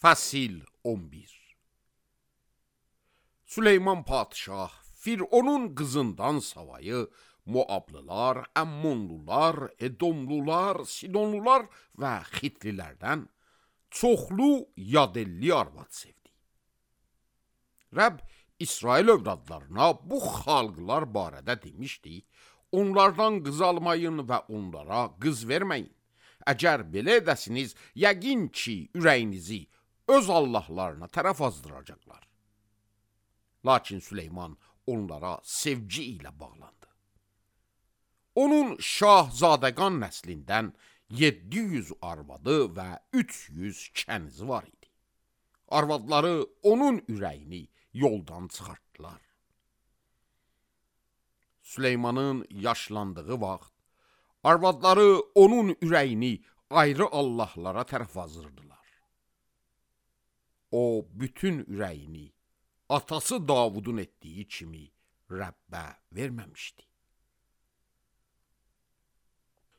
Fəsil 11. Süleyman padişah Fironun qızından savayı Muablılar, Əmmonlular, Edomlular, Sidonlular və Xitlilərdən çoxlu yadelli arvad sevdi. Rəbb İsrail övladlarına bu xalqlar barədə demişdi, onlardan qız almayın və onlara qız verməyin. Əgər belə edəsiniz, yəqin ki, ürəyinizi öz Allahlarına tərəf azdıracaqlar. Lakin Süleyman onlara sevgi ilə bağlandı. Onun şahzadəqan nəslindən 700 arvadı və 300 kənizi var idi. Arvadları onun ürəyini yoldan çıxartdılar. Süleymanın yaşlandığı vaxt, arvadları onun ürəyini ayrı Allahlara tərəf azdırdılar. O, bütün ürəyini atası Davudun etdiyi kimi Rəbbə verməmişdi.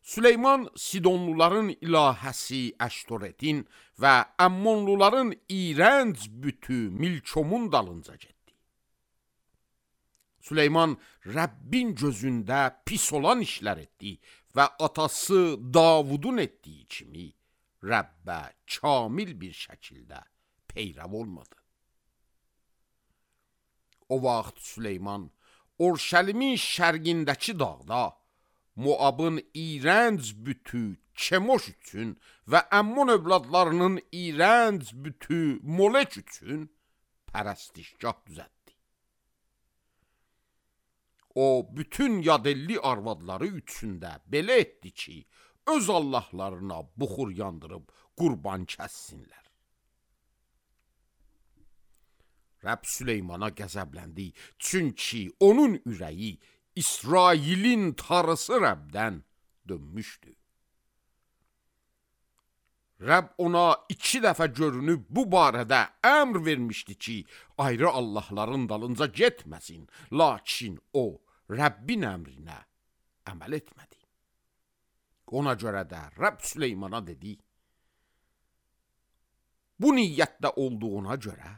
Süleyman Sidonluların ilahəsi Əştoretin və Əmmonluların iyrənc bütü Milkomun dalınca getdi. Süleyman Rəbbin gözündə pis olan işlər etdi və atası Davudun etdiyi kimi Rəbbə kamil bir şəkildə peyrəv olmadı. O vaxt Süleyman Orşəlimin şərqindəki dağda Muabın iyrənc bütü Kemoş üçün və Əmmon övladlarının iyrənc bütü Molek üçün pərəstişgah düzəltdi. O, bütün yadelli arvadları üçündə belə etdi ki, öz Allahlarına buxur yandırıb qurban kəssinlər. Rəbb Süleymana qəzəbləndi, çünki onun ürəyi İsrailin tarısı Rəbdən dönmüşdü. Rəbb ona 2 dəfə görünüb bu barədə əmr vermişdi ki, ayrı Allahların dalınca getməsin, lakin o, Rəbbin əmrinə əməl etmədi. Ona görə də Rəbb Süleymana dedi, bu niyyətdə olduğuna görə,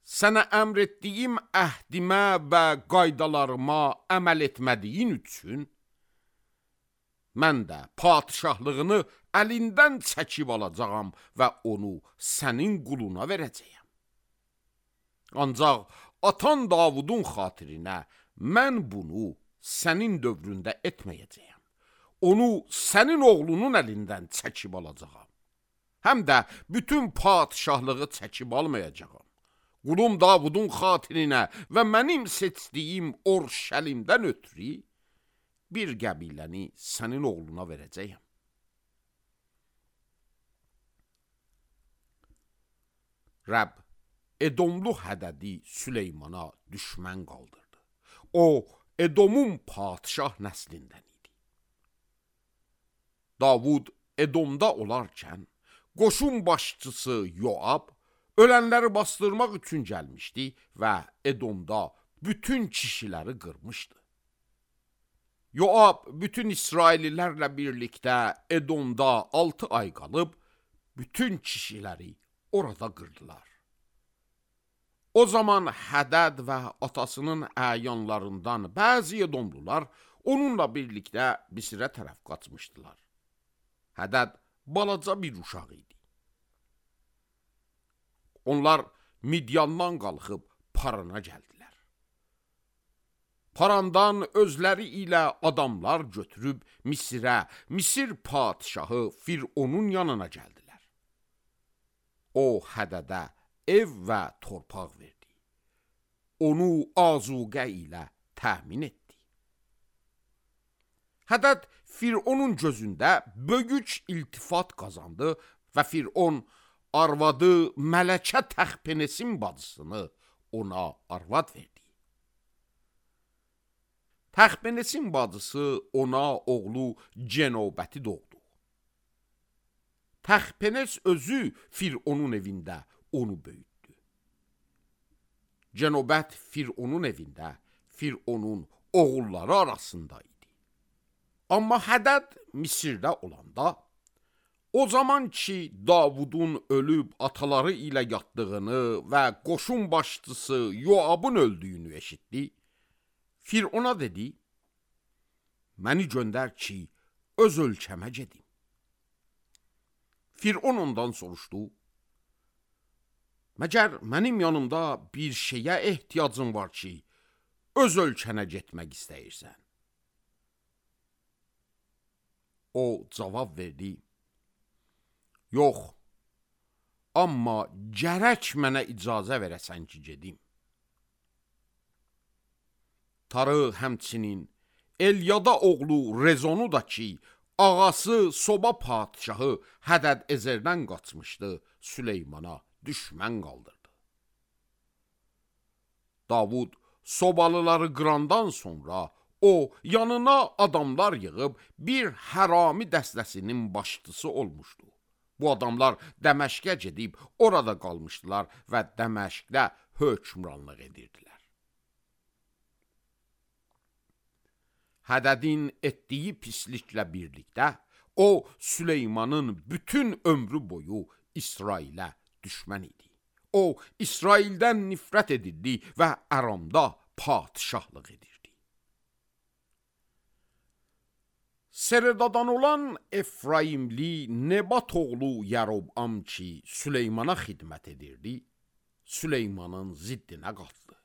sənə əmr etdiyim əhdimə və qaydalarıma əməl etmədiyin üçün, mən də padişahlığını əlindən çəkib alacağam və onu sənin quluna verəcəyəm. Ancaq atan Davudun xatirinə mən bunu sənin dövründə etməyəcəyəm. Onu sənin oğlunun əlindən çəkib alacağam. Həm də bütün padişahlığı çəkib almayacağam. Qulum Davudun xatirinə və mənim seçdiyim Orşəlimdən ötürü bir qəbiləni sənin oğluna verəcəyəm. Rəbb Edomlu Hədədi Süleymana düşmən qaldırdı. O, Edomun padişah nəslindən idi. Davud Edomda olarkən, qoşun başçısı Yoab, ölənləri bastırmaq üçün gəlmişdi və Edomda bütün kişiləri qırmışdı. Yoab bütün İsraillilərlə birlikdə Edomda 6 ay qalıb, bütün kişiləri orada qırdılar. O zaman Hədəd və atasının əyanlarından bəzi Edomlular onunla birlikdə Misirə tərəf qaçmışdılar. Hədəd balaca bir uşaq idi. Onlar Midyandan qalxıb Parana gəldilər. Parandan özləri ilə adamlar götürüb Misirə, Misir padişahı Fironun yanına gəldilər. O, Hədədə ev və torpaq verdi. Onu azuqə ilə təmin etdi. Hədəd Fironun gözündə böyük iltifat qazandı və Firon arvadı Mələkə Təxpenesin bacısını ona arvad verdi. Təxpenesin bacısı ona oğlu Cenobəti doğdu. Təxpenes özü Fironun evində onu böyütdü. Cenobət Fironun evində Fironun oğulları arasında idi. Amma Hədəd Misirdə olanda, O zaman ki Davudun ölüb ataları ilə yatdığını və qoşun başçısı Yoabın öldüyünü eşitdi, Firona dedi, məni göndər ki, öz ölkəmə gedim. Firon ondan soruşdu, məgər mənim yanımda bir şeyə ehtiyacın var ki, öz ölkənə getmək istəyirsən? O cavab verdi, yox, amma gərək mənə icazə verəsən ki, gedim. Tarı həmçinin Elyada oğlu Rezonu da ki, ağası Soba padişahı Hədəd Ezerdən qaçmışdı, Süleymana düşmən qaldırdı. Davud Sobalıları qırandan sonra o yanına adamlar yığıb bir hərami dəstəsinin başçısı olmuşdu. Bu adamlar Dəməşqə gedib orada qalmışdılar və Dəməşqdə hökmranlıq edirdilər. Hədədin etdiyi pisliklə birlikdə o Süleymanın bütün ömrü boyu İsrailə düşmən idi. O İsraildən nifrət edirdi və Əramda padişahlıq edirdi. Seredadan olan Efraimli Nebat oğlu Yarobam ki Süleymana xidmət edirdi, Süleymanın ziddinə qalxdı.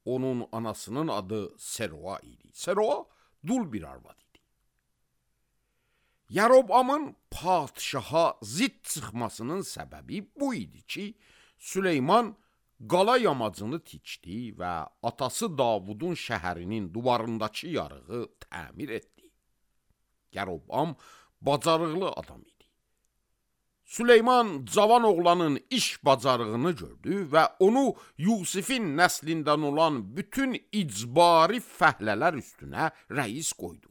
Onun anasının adı Seroa idi. Seroa dul bir arvad idi. Yarobamın padişaha zidd çıxmasının səbəbi bu idi ki, Süleyman qala yamacını tikdi və atası Davudun şəhərinin duvarındakı yarığı təmir etdi. Yarobam bacarıqlı adam idi. Süleyman cavan oğlanın iş bacarığını gördü və onu Yusifin nəslindən olan bütün icbari fəhlələr üstünə rəis qoydu.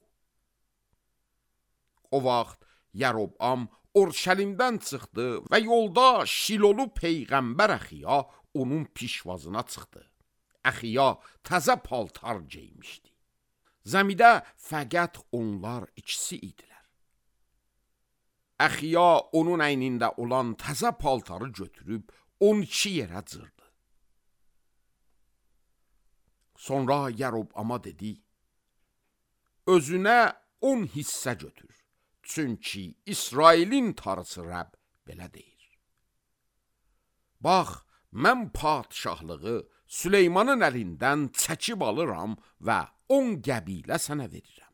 O vaxt Yarobam Orşəlimdən çıxdı və yolda Şilolu Peyğəmbər Əxiya onun pişvazına çıxdı. Əxiya təzə paltar geymişdi. Zəmidə fəqət onlar ikisi idilər. Əxiya onun əynində olan təzə paltarı götürüb 12 yerə cırdı. Sonra Yarobama dedi, özünə 10 hissə götür. Çünki İsrailin tarısı Rəbb belə deyir. Bax, mən padişahlığı Süleymanın əlindən çəkib alıram və 10 qəbilə sənə verirəm.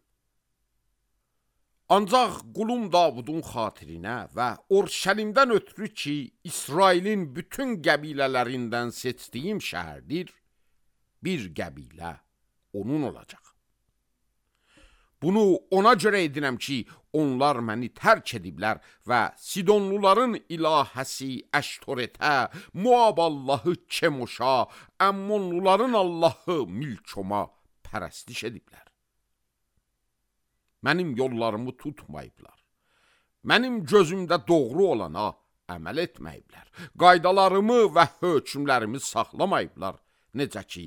Ancaq qulum Davudun xatirinə və Orşəlimdən ötürü ki, İsrailin bütün qəbilələrindən seçdiyim şəhərdir, bir qəbilə onun olacaq. Bunu ona görə edirəm ki, onlar məni tərk ediblər və Sidonluların ilahəsi Əştoretə, Moab Allahı Kemoşa, Əmmonluların Allahı Milkoma pərəstiş ediblər. Mənim yollarımı tutmayıblar. Mənim gözümdə doğru olana əməl etməyiblər. Qaydalarımı və hökmlərimi saxlamayıblar. Necə ki,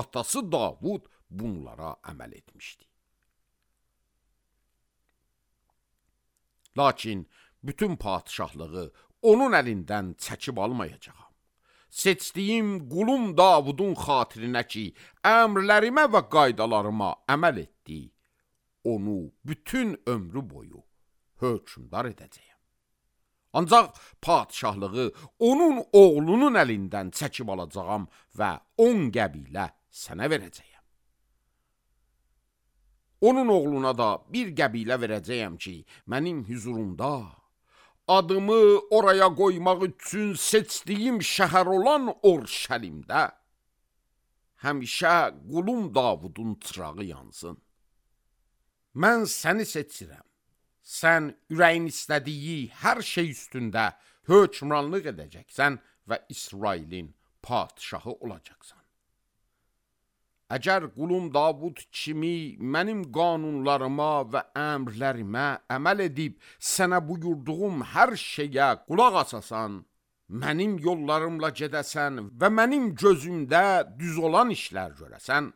atası Davud bunlara əməl etmişdi. Lakin bütün padişahlığı onun əlindən çəkib almayacağam. Seçdiyim qulum Davudun xatirinə ki, əmrlərimə və qaydalarıma əməl etdi, onu bütün ömrü boyu hökmdar edəcəyəm. Ancaq padişahlığı onun oğlunun əlindən çəkib alacağam və 10 qəbilə sənə verəcəyəm. Onun oğluna da bir qəbilə verəcəyəm ki, mənim hüzurumda adımı oraya qoymaq üçün seçdiyim şəhər olan Orşəlimdə həmişə qulum Davudun çırağı yansın. Mən səni seçirəm. Sən ürəyin istədiyi hər şey üstündə hökmranlıq edəcəksən və İsrailin padişahı olacaqsan. Əgər qulum Davud kimi mənim qanunlarıma və əmrlərimə əməl edib sənə buyurduğum hər şeyə qulaq asasan, mənim yollarımla gedəsən və mənim gözümdə düz olan işlər görəsən,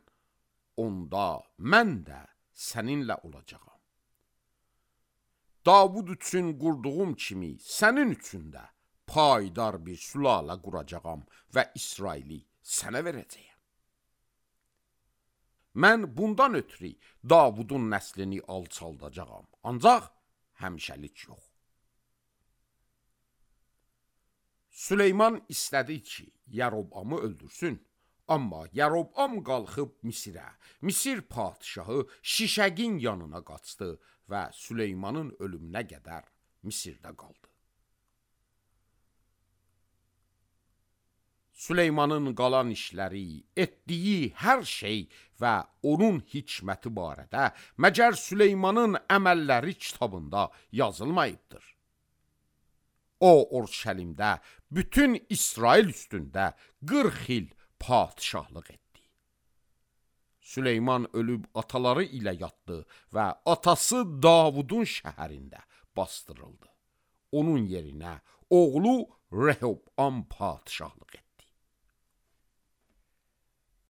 onda mən də səninlə olacağam. Davud üçün qurduğum kimi sənin üçün də payidar bir sülalə quracağam və İsraili sənə verəcəyəm. Mən bundan ötürü Davudun nəslini alçaldacağam, ancaq həmişəlik yox. Süleyman istədi ki, Yərobamı öldürsün, amma Yərobam qalxıb Misirə, Misir padişahı Şişəqin yanına qaçdı və Süleymanın ölümünə qədər Misirdə qaldı. Süleymanın qalan işləri, etdiyi hər şey və onun hikməti barədə məgər Süleymanın əməlləri kitabında yazılmayıbdır. O, Orşəlimdə bütün İsrail üstündə 40 il padişahlıq etdi. Süleyman ölüb ataları ilə yatdı və atası Davudun şəhərində bastırıldı. Onun yerinə oğlu Rehobam padişahlıq etdi.